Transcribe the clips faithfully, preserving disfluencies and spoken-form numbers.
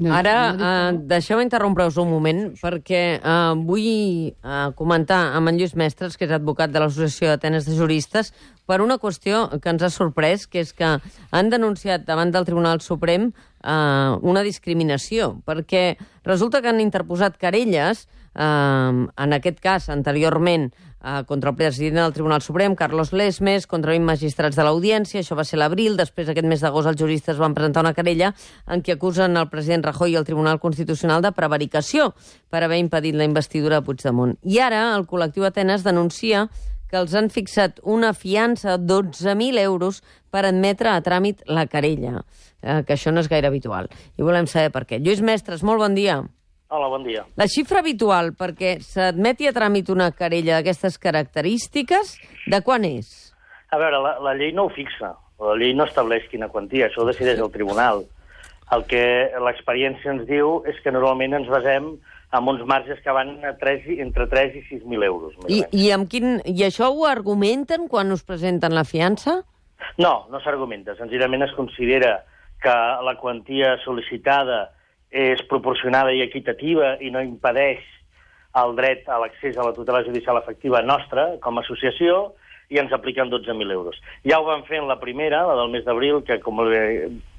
No, Ara, no eh, deixeu interrompre-us un moment, perquè eh, vull eh, comentar amb en Lluís Mestres, que és advocat de l'Associació d'Atenes de Juristes, per una qüestió que ens ha sorprès, que és que han denunciat davant del Tribunal Suprem eh, una discriminació, perquè resulta que han interposat querelles, eh, en aquest cas, anteriorment, eh, contra el president del Tribunal Suprem, Carlos Lesmes, contra vint magistrats de l'Audiència, això va ser l'abril, després aquest mes d'agost els juristes van presentar una querella en què acusen el president Rajoy i el Tribunal Constitucional de prevaricació per haver impedit la investidura de Puigdemont. I ara el col·lectiu Atenes denuncia que els han fixat una fiança de dotze mil euros per admetre a tràmit la querella, eh, que això no és gaire habitual. I volem saber per què. Lluís Mestres, molt bon dia. Hola, bon dia. La xifra habitual perquè s'admeti a tràmit una querella d'aquestes característiques, de quan és? A veure, la, la llei no ho fixa. La llei no estableix quina quantia, això ho decideix el tribunal. El que l'experiència ens diu és que normalment ens basem en uns marges que van a tres, entre tres i sis mil euros. I, i, amb quin, I això ho argumenten quan us presenten la fiança? No, no s'argumenta. Senzillament es considera que la quantia sol·licitada és proporcionada i equitativa i no impedeix el dret a l'accés a la tutela judicial efectiva nostra com a associació i ens apliquen dotze mil euros. Ja ho van fer en la primera, la del mes d'abril, que com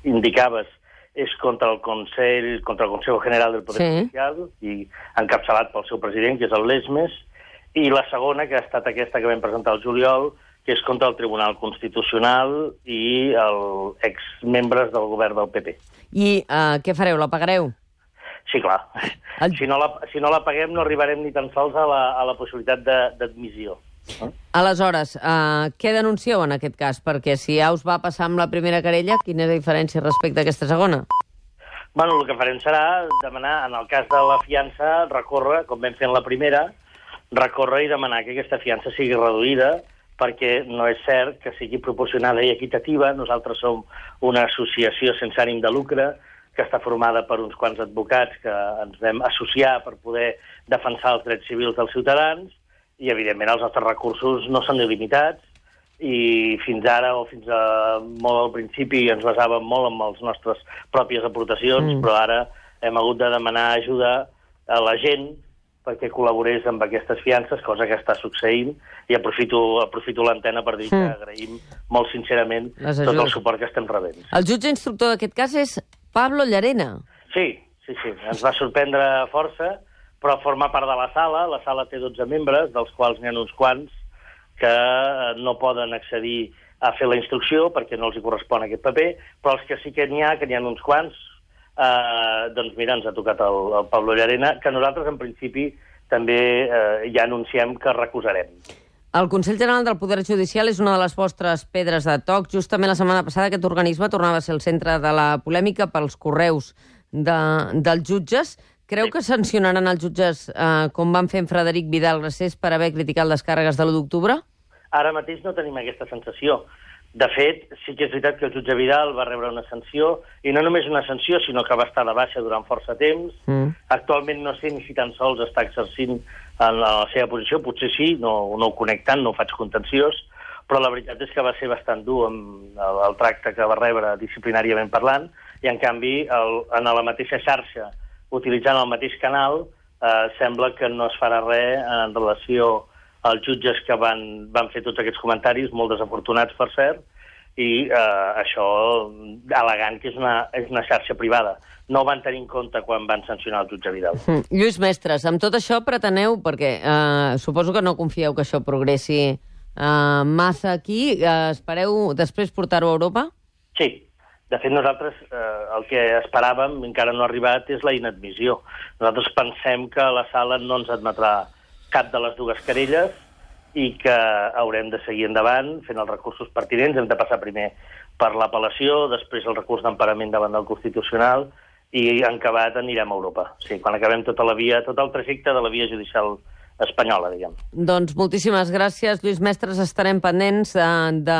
indicaves és contra el Consell, contra el Consejo General del Poder Sí. Judicial i encapçalat pel seu president, que és el Lesmes, i la segona, que ha estat aquesta que vam presentar al juliol, que és contra el Tribunal Constitucional i els exmembres del govern del P P. I uh, què fareu, la pagareu? Sí, clar. El- Si no la, si no la paguem no arribarem ni tan sols a la, a la possibilitat de- d'admissió. Eh? Aleshores, uh, què denuncieu en aquest cas? Perquè si ja us va passar amb la primera querella, quina és la diferència respecte a aquesta segona? Bueno, el que farem serà demanar, en el cas de la fiança, recórrer, com vam fer en la primera, recórrer i demanar que aquesta fiança sigui reduïda, perquè no és cert que sigui proporcionada i equitativa. Nosaltres som una associació sense ànim de lucre que està formada per uns quants advocats que ens vam associar per poder defensar els drets civils dels ciutadans i, evidentment, els nostres recursos no són il·limitats i fins ara o fins a molt al principi ens basàvem molt en les nostres pròpies aportacions, Mm. però ara hem hagut de demanar ajuda a la gent perquè col·laborés amb aquestes fiances, cosa que està succeint, i aprofito, aprofito l'antena per dir que Mm. agraïm molt sincerament Les tot el ajudes. suport que estem rebent. El jutge instructor d'aquest cas és Pablo Llarena. Sí, sí, sí, ens va sorprendre força, però forma part de la sala. La sala té dotze membres, dels quals n'hi ha uns quants que eh, no poden accedir a fer la instrucció perquè no els hi correspon aquest paper, però els que sí que n'hi ha, que n'hi ha uns quants, eh, doncs mira, ens ha tocat el, el Pablo Llarena, que nosaltres en principi també eh, ja anunciem que recusarem. El Consell General del Poder Judicial és una de les vostres pedres de toc. Justament la setmana passada aquest organisme tornava a ser el centre de la polèmica pels correus de, dels jutges. Creu Sí. que sancionaran els jutges eh, com van fer en Frederic Vidal Gracés per haver criticat les càrregues de l'u d'octubre? Ara mateix no tenim aquesta sensació. De fet, sí que és veritat que el jutge Vidal va rebre una sanció, i no només una sanció, sinó que va estar de baixa durant força temps. Mm. Actualment no sé ni si tan sols està exercint en la seva posició, potser sí, no, no ho conec tant, no ho faig contenciós, però la veritat és que va ser bastant dur amb el, el tracte que va rebre disciplinàriament parlant, i en canvi el, en la mateixa xarxa, utilitzant el mateix canal, eh, sembla que no es farà res en relació als jutges que van, van fer tots aquests comentaris, molt desafortunats, per cert, i eh, això al·legant que és una, és una xarxa privada. No ho van tenir en compte quan van sancionar el jutge Vidal. Mm. Lluís Mestres, amb tot això preteneu, perquè eh, suposo que no confieu que això progressi eh, massa aquí, eh, espereu després portar-ho a Europa? Sí. De fet, nosaltres eh, el que esperàvem, encara no ha arribat, és la inadmissió. Nosaltres pensem que la sala no ens admetrà cap de les dues querelles i que haurem de seguir endavant fent els recursos pertinents. Hem de passar primer per l'apel·lació, després el recurs d'emparament davant del Constitucional i en acabat anirem a Europa. Sí, quan acabem tota la via, tot el trajecte de la via judicial espanyola, diguem. Doncs moltíssimes gràcies, Lluís Mestres. Estarem pendents de, de,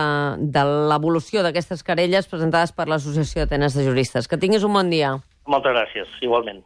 de l'evolució d'aquestes querelles presentades per l'Associació d'Atenes de Juristes. Que tinguis un bon dia. Moltes gràcies, igualment.